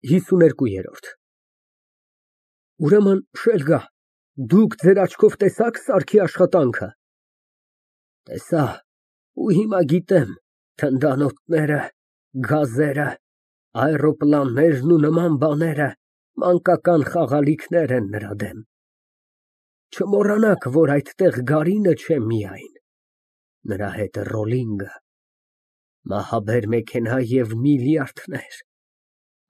52։ Ուրեմն, շելգա, դուք ձեր աչքով տեսա՞ք սարքի աշխատանքը։ Տեսա, ու հիմա գիտեմ, թնդանոթները, գազերը, այռոպլաններն ու նման բաները մանկական խաղալիքներ են նրա դեմ։ Չմոռանաք, որ այդտեղ Գարինը չէ միայն, նրա հետ Ռոլինգը, մահաբեր մեքենա և միլիարդներ,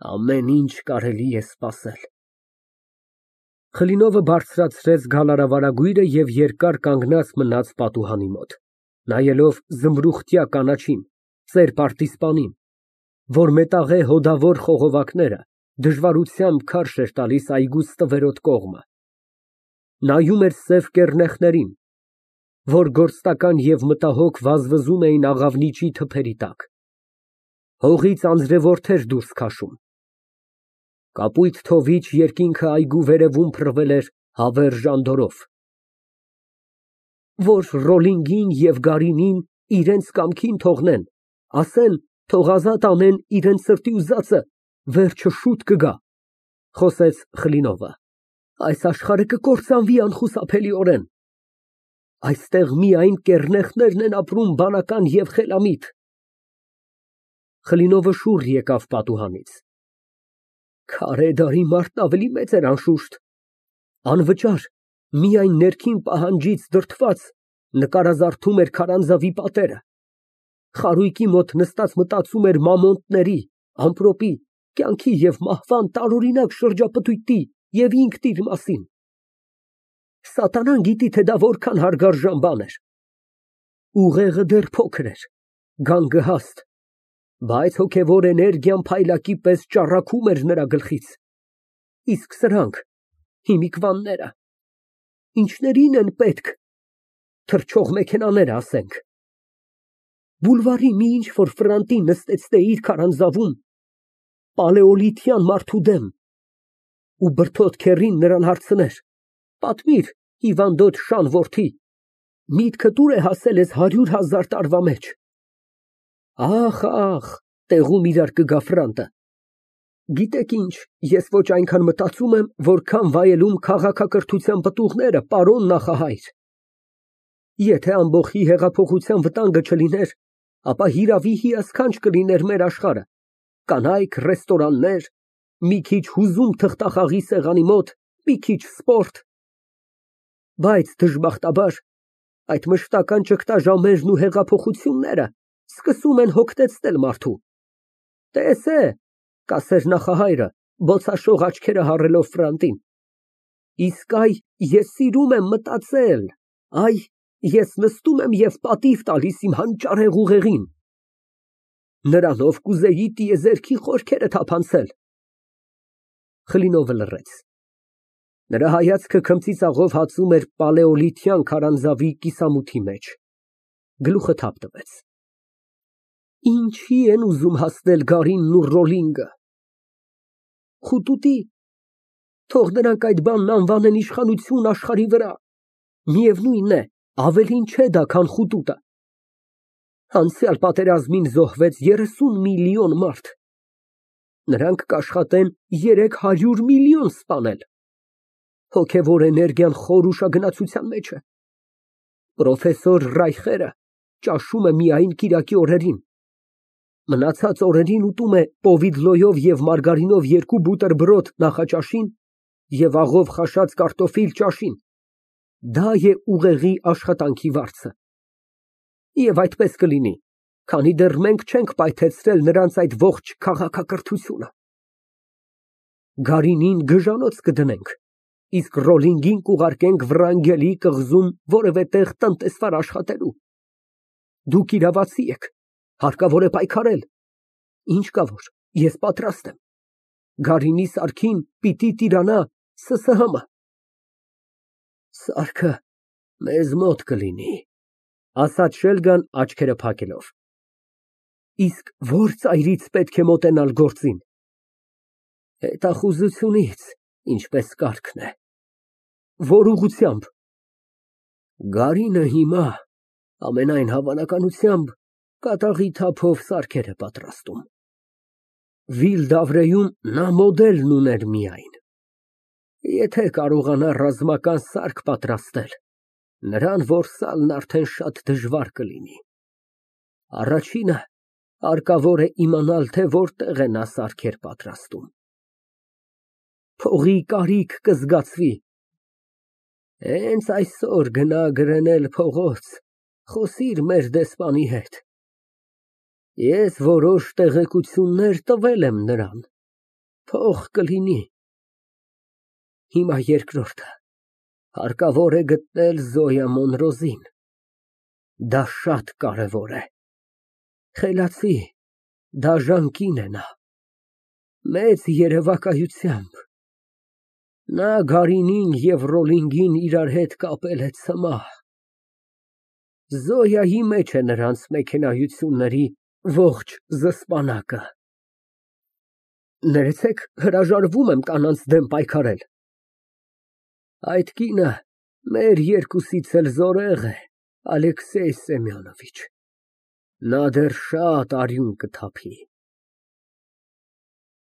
ամեն ինչ կարելի է սպասել։ Խլինովը բարձրացրեց գալարավարագույրը և երկար կանգնած մնաց պատուհանի մոտ, նայելով զմրուխտյա կանաչին, ծեր պարտիզպանին, որ մետաղե հոդավոր խողովակները դժվարությամբ քարշ էր տալիս այգու ստվերոտ կողմը, նայում էր սև կեռնեխներին, որ գործնական և մտահոգ վազվզում էին աղավնիճի թփերի տակ, հողից անձրևորդեր դուրս քաշում, կապույտ թովիչ երկինքը այգու վերևում փռվել էր հավերժ անդորրով, որ Ռոլինգին և Գարինին իրենց կամքին թողնեն, ասեն, թող ազատ անեն իրենց սրտի ուզածը, վերջը շուտ կգա, խոսեց Խլինովը, այս աշխարհը կկործանվի անխուսափելիորեն, այստեղ միայն կեռնեխներն են ապրում բանական և խելամիտ։ Խլինովը շուռ եկավ պատուհանից։ Քարե դարի մարդն ավելի մեծ էր անշուշտ, անվճար, միայն ներքին պահանջից դրդված, նկարազարդում էր քարանձավի պատերը, խարույկի մոտ նստած մտածում էր մամոնտների, ամպրոպի, կյանքի և մահվան տարօրինակ շրջապտույտի և ինքն իր մասին։ Սատանան գիտի, թե դա որքան հարգարժան բան էր։ Ուղեղը դեռ փոքր էր, գանգը հաստ, բայց հոգևոր էներգիան փայլակի պես ճառագում էր նրա գլխից։ Իսկ սրանք, հիմիկվանները, ինչների՞ն են պետք, թռչող մեքենաները, ասենք։ Բուլվարի մի ինչ֊որ ֆրանտի նստեցնեիր իր քարանձավում, պալեոլիթյան մարդու դեմ, ու բրդոտ քեռին նրան հարցներ. «Պատմիր, հիվանդոտ շան որդի, միտքդ ուր է հասել էս 100,000 տարվա մեջ»։ Ախ, տեղում իրար կգա ֆրանտը։ Գիտեք ինչ, ես ոչ այնքան մտածում եմ, որքան վայելում քաղաքակրթության պտուղները, պարոն նախահայր։ Եթե ամբոխի հեղափոխության վտանգը չլիներ, ապա հիրավի հիասքանչ կլիներ մեր աշխարհը, կանայք, ռեստորաններ, մի քիչ հուզում թղթախաղի սեղանի մոտ, մի քիչ սպորտ։ Բայց դժբախտաբար, այդ մշտական ճգտաժամերն ու հեղափոխությունները սկսում են հոգնեցնել մարդու։ Տես է, կասեր նախահայրը, բոցաշող աչքերը հառելով ֆրանտին, իսկ այ ես սիրում եմ մտածել, այ ես նստում եմ և պատիվ տալիս իմ հանճարեղ ուղեղին։ Նրանով կուզեի տիեզերքի խորքերը թափանցել։ Խլինովը լռեց։ Նրա հայացքը քմծիծաղով հածում էր պալեոլիթյան քարանձավի կիսամութի մեջ, գլուխը թափ տվեց։ Ինչի են ուզում հասնել Գարինն ու Ռոլինգը։ Խուտուտի, թող նրանք այդ բանն անվանեն իշխանություն աշխարհի վրա, միևնույն է, ավելին չէ դա, քան խուտուտը։ Անցյալ պատերազմին զոհվեց 30 միլիոն մարդ, նրանք կաշխատեն 300 միլիոն սպանել։ Հոգևոր էներգիան խոր ուշագնացության մեջ է։ Պրոֆեսոր Ռայխերը ճաշում է միայն կիրակի օրերին, մնացած օրերին ուտում է պովիդլոյով և մարգարինով 2 բուտերբրոդ նախաճաշին և աղով խաշած կարտոֆիլ ճաշին։ Դա է ուղեղի աշխատանքի վարձը։ Եվ այդպես կլինի, քանի դեռ մենք չենք պայթեցրել նրանց այդ ողջ քաղաքակրթությունը։ Գարինին գժանոց կդնենք, իսկ Ռոլինգին կուղարկենք Վրանգելի կղզում որևէ տեղ տնտեսվար աշխատելու։ Դուք իրավացի եք, հարկավոր է պայքարել։ Ինչ կա որ, ես պատրաստ եմ։ Գարինի սարքին պիտի տիրանա ՍՍՀՄ։ Սարքը մեզ մոտ կլինի, ասաց Շելգան աչքերը փակելով։ Իսկ ո՞ր ծայրից պետք է մոտենալ գործին։ Հետախուզությունից, ինչպես կարգն է։ Որ ուղղությամբ։ Գարինը հիմա, ամենայն հավանականությամբ, կատաղի թափով սարքեր է պատրաստում։ Վիլդավրեում նա մոդելն ուներ միայն։ Եթե կարողանա ռազմական սարք պատրաստել, նրան որսալն արդեն շատ դժվար կլինի։ Առաջինը հարկավոր է իմանալ, թե որտեղ է նա սարքեր պատրաստում։ Փողի կարիք կզգացվի։ Հենց այսօր գնա գրնել փողոց, խոսիր մեր դեսպանի հետ։ Ես որոշ տեղեկություններ տվել եմ նրան, փող կլինի։ Հիմա երկրորդը, հարկավոր է գտնել Զոյա Մոնրոզին, դա շատ կարևոր է։ Խելացի, դաժան կին է նա, մեծ երևակայությամբ։ Նա Գարինին և Ռոլինգին իրար հետ կապել է ցմահ։ Զոյայի մեջ է նրանց մեքենայությունների ողջ զսպանակը։ Ներեցեք, հրաժարվում եմ կանանց դեմ պայքարել։ Այդ կինը մեր երկուսից էլ զորեղ է, Ալեքսեյ Սեմյոնովիչ, նա դեռ շատ արյուն կթափի։